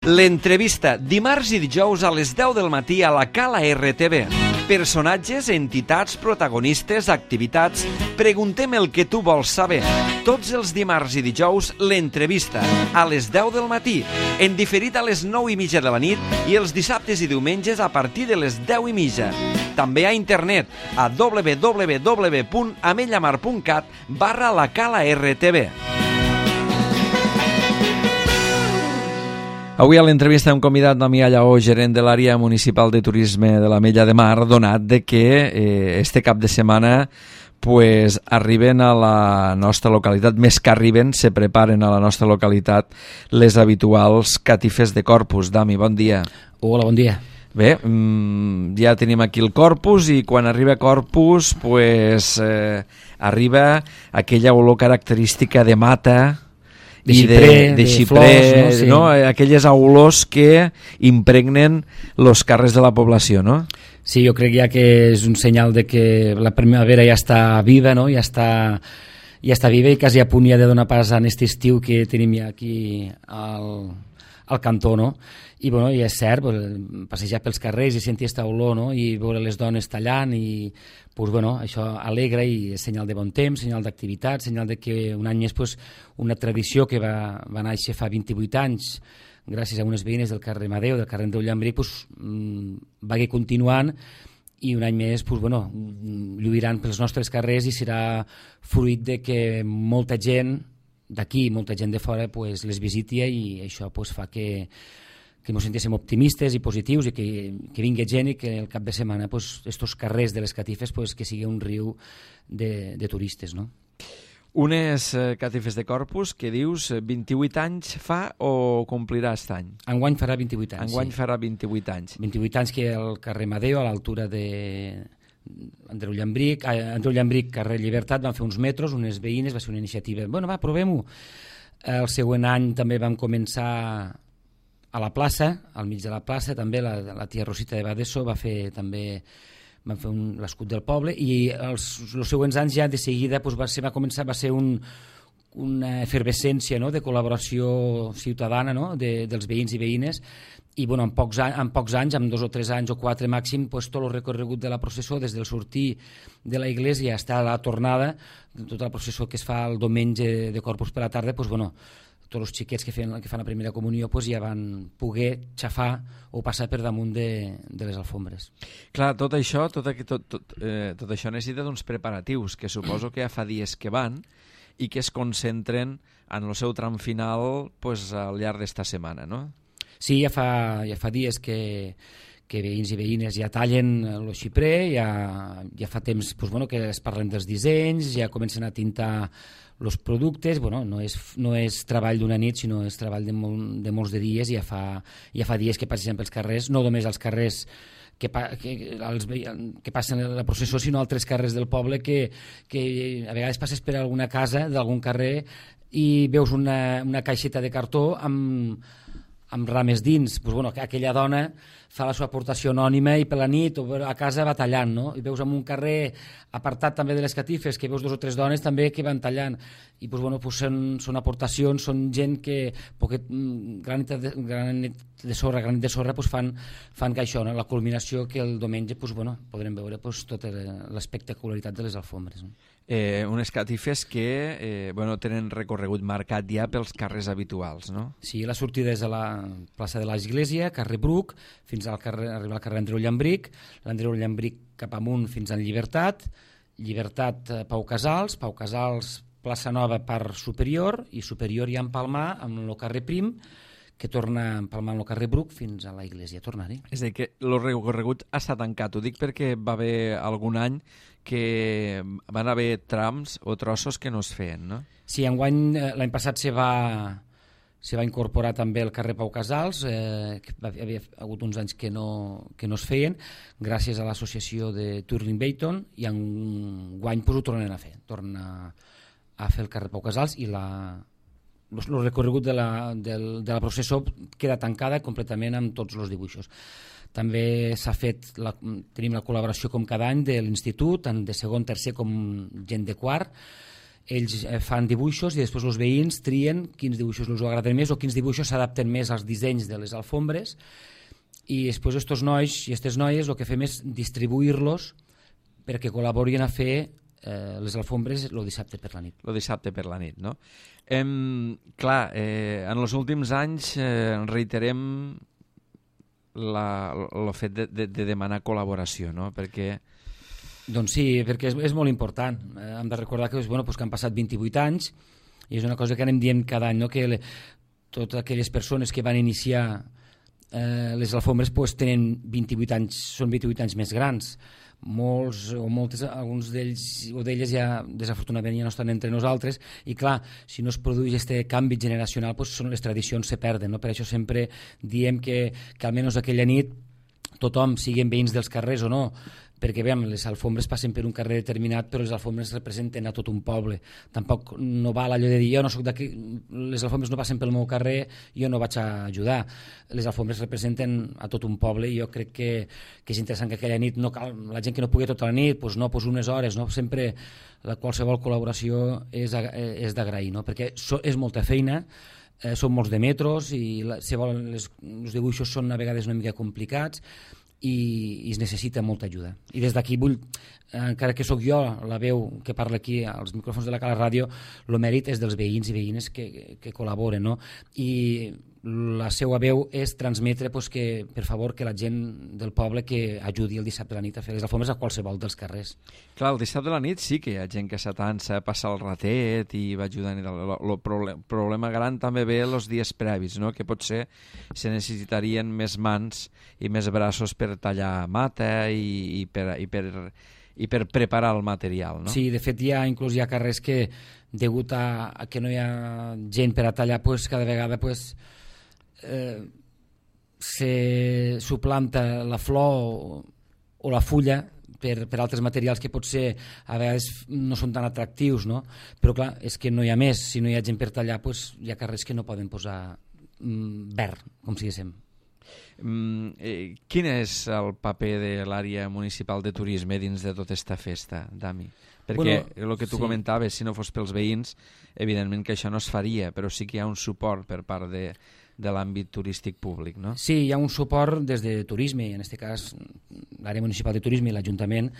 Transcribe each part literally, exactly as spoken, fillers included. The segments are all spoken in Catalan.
L'entrevista, dimarts i dijous a les deu del matí a la Cala R T V. Personatges, entitats, protagonistes, activitats... Preguntem el que tu vols saber. Tots els dimarts i dijous, l'entrevista, a les deu del matí, en diferit a les nou i mitja de la nit i els dissabtes i diumenges a partir de les deu i mitja. També a internet, a w w w punt amellamar punt cat barra la Cala R T V. Avui a l'entrevista hem convidat Damià Lleó, gerent de l'àrea municipal de turisme de l'Ametlla de Mar, donat de que eh, este cap de setmana pues, arriben a la nostra localitat, més que arriben, se preparen a la nostra localitat les habituals catifes de Corpus. Dami, bon dia. Hola, bon dia. Bé, mmm, ja tenim aquí el Corpus i quan arriba Corpus pues, eh, arriba aquella olor característica de mata, de xiprer, de, de, de flors, no? Sí. No? Aquelles olors que impregnen els carrers de la població, no? Sí, jo crec ja que és un senyal de que la primavera ja està viva, no? Ja està, ja està viva i quasi a punt ja de donar pas a aquest estiu que tenim ja aquí al, al cantó, no? I, bueno, i és cert, passejar pels carrers i sentir aquesta olor, no? I veure les dones tallant i, pues, bueno, això alegra i és senyal de bon temps, senyal d'activitat, senyal de que un any més, pues, una tradició que va, va néixer fa vint-i-vuit anys gràcies a unes veïnes del carrer Madeu, del carrer Andreu Llambric, pues, va continuant i un any més pues, bueno, lluiran pels nostres carrers i serà fruit de que molta gent d'aquí, molta gent de fora pues, les visiti i això pues, fa que que ens sentíssim optimistes i positius i que, que vingui gent i que el cap de setmana pues, estos carrers de les catifes pues, que sigui un riu de, de turistes, no? Unes eh, catifes de Corpus que dius vint-i-vuit anys fa o complirà aquest any? Enguany farà vint-i-vuit anys. Enguany sí. farà vint-i-vuit anys. vint-i-vuit anys que al carrer Madeu, a l'altura de Andreu Llambric, a Andreu Llambric, carrer Llibertat, van fer uns metros, unes veïnes, va ser una iniciativa. Bueno, va, provem-ho. El següent any també vam començar a la plaça, al mig de la plaça, també la, la tia Rosita de Badesso va fer també van fer l'escut del poble i els, els següents anys ja de seguida doncs va, ser, va començar va ser un, una efervescència, no?, de col·laboració ciutadana, no?, de, dels veïns i veïnes i bueno, en, pocs anys, en pocs anys, en dos o tres anys o quatre màxim, doncs, tot el recorregut de la processó des del sortir de la iglesia fins a la tornada, tota la processó que es fa el diumenge de Corpus per la tarda, doncs bueno, tots els xiquets que fan, que fan la primera comunió pues, ja van poder xafar o passar per damunt de, de les alfombres. Clar, tot això, tot, tot, tot, eh, tot això necessita d'uns preparatius que suposo que ja fa dies que van i que es concentren en el seu tram final pues, al llarg d'esta setmana, no? Sí, ja fa, ja fa dies que, que veïns i veïnes ja tallen el xiprer, ja, ja fa temps pues, bueno, que es parlen dels dissenys, ja comencen a tintar els productes, bueno, no és, no és treball d'una nit, sinó és treball de, mol, de molts de dies, i ja fa, ja fa dies que passen pels carrers, no només als carrers que, que, els, que passen la processó, sinó altres carrers del poble que, que a vegades passes per alguna casa d'algun carrer i veus una, una caixeta de cartó amb, amb rames dins, pues, bueno, aquella dona fa la seva aportació anònima i per la nit o a casa va tallant, no? I veus en un carrer apartat també de les catifes que veus dos o tres dones també que van tallant i pues, bueno, pues són, són aportacions, són gent que poquet, granet de, granet de sorra, granet de sorra pues, fan, fan que això, no? La culminació que el diumenge pues, bueno, podrem veure pues, tota l'espectacularitat de les alfombres. No? Eh, unes catifes que eh, bueno, tenen recorregut marcat ja pels carrers habituals, no? Sí, la sortida és a la plaça de l'Església, carrer Bruc, fins al carrer, arribar al carrer Andreu Llambric, l'Andreu Llambric cap amunt fins al Llibertat, Llibertat eh, Pau Casals, Pau Casals plaça Nova per Superior i Superior ja empalmar amb el carrer Prim, que torna a empalmar amb el carrer Bruc fins a la Iglesia, tornar-hi. És a dir, que el recorregut està tancat, ho dic perquè va haver algun any que van haver trams o trossos que no es feien, no? Sí, enguany, l'any passat se va, se va incorporar també el carrer Pau Casals, eh, que havia hagut uns anys que no, que no es feien, gràcies a l'associació de Twirling Bayton, i enguany pues, ho tornen a fer, tornen a, a fer el carrer Pau Casals i la... el recorregut de la, de, de la processó queda tancada completament amb tots els dibuixos. També s'ha fet, la, tenim la col·laboració com cada any de l'institut, tant de segon, tercer com gent de quart, ells fan dibuixos i després els veïns trien quins dibuixos els agraden més o quins dibuixos s'adapten més als dissenys de les alfombres, i després estos nois i aquestes noies el que fem és distribuir-los perquè col·laborin a fer eh, les alfombres el dissabte per la nit. El dissabte per la nit, no? Em, clar, eh, en els últims anys eh, reiterem el fet de, de, de demanar col·laboració, no? Perquè... Doncs sí, perquè és, és molt important. Eh, hem de recordar que, bueno, pues que han passat vint-i-vuit anys i és una cosa que anem dient cada any, no? Que le, totes aquelles persones que van iniciar eh, les alfombres pues, tenen vint-i-vuit anys, són vint-i-vuit anys més grans. Molts o moltes, alguns d'ells o d'elles ja desafortunadament ja no estan entre nosaltres, i clar, si no es produeix aquest canvi generacional pues, són les tradicions se perden, no? Per això sempre diem que, que almenys aquella nit tothom, siguin veïns dels carrers o no, perquè veiem, les alfombres passen per un carrer determinat, però les alfombres representen a tot un poble. Tampoc no val allò de dir, jo no soc d'aquí, les alfombres no passen pel meu carrer, jo no vaig a ajudar. Les alfombres representen a tot un poble i jo crec que, que és interessant que aquella nit, no cal, la gent que no pugui tota la nit, doncs no, doncs unes hores, no? Sempre la qualsevol col·laboració és, és d'agrair, no? Perquè so, és molta feina, eh, són molts de metros i la, si volen, les, els dibuixos són a vegades una mica complicats, i, i es necessita molta ajuda. I des d'aquí vull, eh, encara que sóc jo la veu que parla aquí als micròfons de la Cala Ràdio, el mèrit és dels veïns i veïnes que, que col·laboren, no? I la seva veu és transmetre pues, que, per favor, que la gent del poble que ajudi el dissabte a la nit a fer les alfombres a qualsevol dels carrers. Clar, el dissabte a la nit sí que hi ha gent que s'atansa, passa el ratet i va ajudant. El problem, problema gran també ve els dies previs, no? Que potser se necessitarien més mans i més braços per tallar mata i, i, per, i, per, i per preparar el material, no? Sí, de fet hi ha, inclús hi ha carrers que, degut a, a que no hi ha gent per a tallar, pues, cada vegada pues, eh, se suplanta la flor o, o la fulla per, per altres materials que potser a vegades no són tan atractius, no? Però clar, és que no hi ha més, si no hi ha gent per tallar pues, hi ha carrers que no poden posar mm, verd, com si diguéssim. Mm, eh, quin és el paper de l'àrea municipal de turisme dins de tota aquesta festa, Dami? Perquè bueno, el que tu sí. comentaves, si no fos pels veïns, evidentment que això no es faria, però sí que hi ha un suport per part de, de l'àmbit turístic públic, no? Sí, hi ha un suport des de turisme, en aquest cas l'àrea municipal de turisme i l'Ajuntament,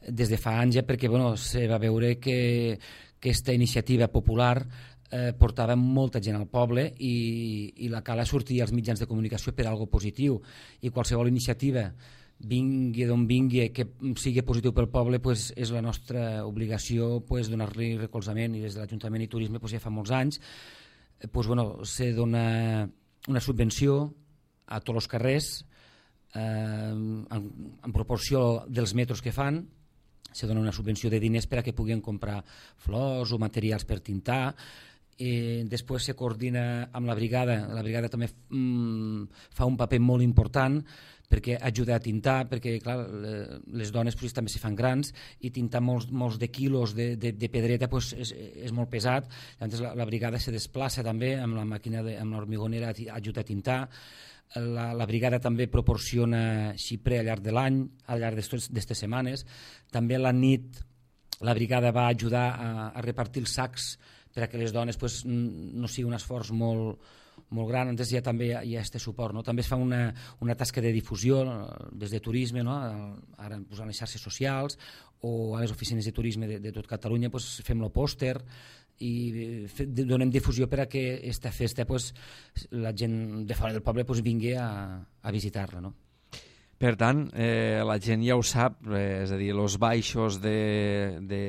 des de fa anys ja, perquè bueno, se va veure que aquesta iniciativa popular eh, portava molta gent al poble i, i la Cala sortia als mitjans de comunicació per algo positiu, i qualsevol iniciativa vingui d'on vingui, que sigui positiu pel poble, pues, és la nostra obligació pues, donar-li recolzament, i des de l'Ajuntament i Turisme pues, ja fa molts anys pues, bueno, se dona una subvenció a tots els carrers eh, en, en proporció dels metros que fan. Se dona una subvenció de diners per a que puguin comprar flors o materials per tintar. I després se coordina amb la brigada. La brigada també mm, fa un paper molt important perquè ajuda a tintar, perquè clar, les dones pues, també se fan grans i tintar molts, molts de quilos de, de, de pedreta pues, és, és molt pesat. Llavors la, la brigada se desplaça també amb la màquina, de, amb l'hormigonera, ajuda a tintar. La, la brigada també proporciona xiprer al llarg de l'any, al llarg d'aquestes setmanes. També a la nit la brigada va ajudar a, a repartir els sacs per a que les dones pues, no sigui un esforç molt, molt gran. Entonces ja també hi ha, hi ha este suport, no? També es fa una, una tasca de difusió des de turisme, no? Ara posant les xarxes socials o a les oficines de turisme de, de tot Catalunya pues, fem el pòster i donem difusió per a que aquesta festa pues, la gent de fora del poble pues, vingui a, a visitar-la, no? Per tant, eh, la gent ja ho sap, eh, és a dir, els baixos de, de,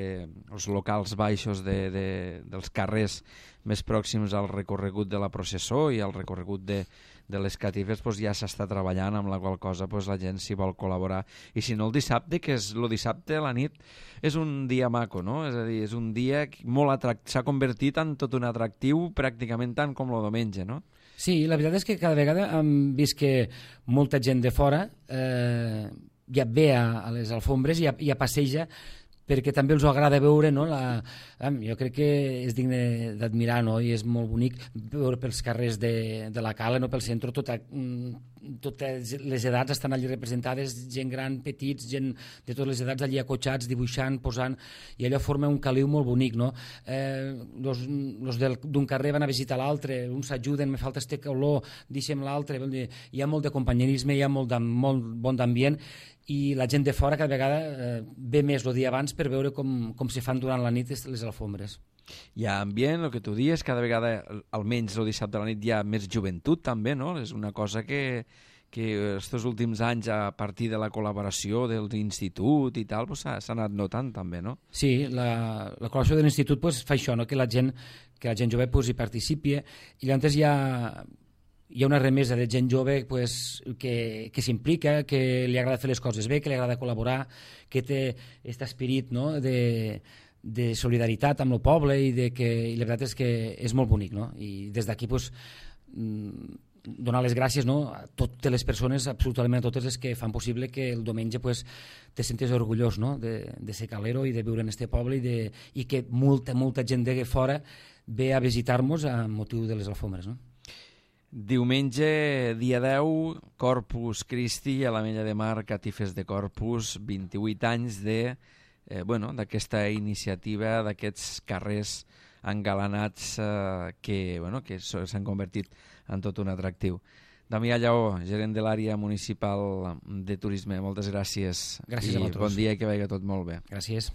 els locals baixos de, de, dels carrers més pròxims al recorregut de la processó i al recorregut de, de les catives pues, ja s'està treballant, amb la qual cosa pues, la gent s'hi vol col·laborar. I si no el dissabte, que és el dissabte a la nit, és un dia maco, no? És a dir, és un dia molt atractiu, s'ha convertit en tot un atractiu pràcticament tant com el diumenge, no? Sí, la veritat és que cada vegada hem vist que molta gent de fora eh, ja ve a, a les alfombres i ja, ja passeja perquè també els agrada veure, no? La, jo crec que és digne d'admirar, no? I és molt bonic veure pels carrers de, de la Cala, no? Pel centre, tota, totes les edats estan allí representades, gent gran, petits, gent de totes les edats allí acotxats, dibuixant, posant, i allò forma un caliu molt bonic, no? Eh, los, los d'un carrer van a visitar l'altre, uns s'ajuden, me falta este olor, deixem l'altre, hi ha molt de companyerisme, hi ha molt, de, molt bon d'ambient, i la gent de fora cada vegada eh, ve més el dia abans per veure com, com se fan durant la nit les alfombres. Hi ha ambient, el que tu dius, cada vegada, almenys el dissabte a la nit, hi ha més joventut també, no? És una cosa que, que estos últims anys, a partir de la col·laboració de l'institut i tal, pues, s'ha anat notant també, no? Sí, la, la col·laboració de l'institut pues, fa això, no? que la gent, que la gent jove pues, hi participi, i llavors hi ha, hi ha una remesa de gent jove pues, que, que s'implica, que li agrada fer les coses bé, que li agrada col·laborar, que té aquest esperit, no? de de solidaritat amb el poble i, de que, i la veritat és que és molt bonic, no? I des d'aquí pues, donar les gràcies, no? A totes les persones, absolutament a totes les que fan possible que el diumenge pues, te sentis orgullós, no? de, de ser calero i de viure en este poble i, de, i que molta, molta gent de fora ve a visitar-nos a motiu de les alfombres, no? Diumenge, dia deu, Corpus Christi a l'Ametlla de Mar, Catifes de Corpus, vint-i-vuit anys de Eh, bueno, d'aquesta iniciativa, d'aquests carrers engalanats eh, que, bueno, que s'han convertit en tot un atractiu. Damià Lleó, gerent de l'àrea municipal de turisme, moltes gràcies. Gràcies I a vosaltres. Bon dia i que vagi tot molt bé. Gràcies.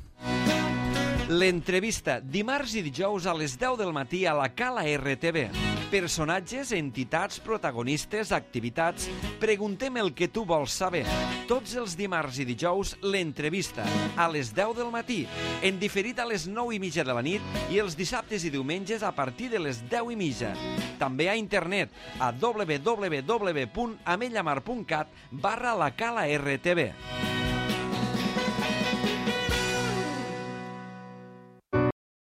L'entrevista, dimarts i dijous a les deu del matí a la Cala R T V. Personatges, entitats, protagonistes, activitats... Preguntem el que tu vols saber. Tots els dimarts i dijous, l'entrevista, a les deu del matí, en diferit a les nou i mitja de la nit i els dissabtes i diumenges a partir de les deu i mitja. També a internet, a w w w punt ametlla mar punt cat barra la Cala R T V.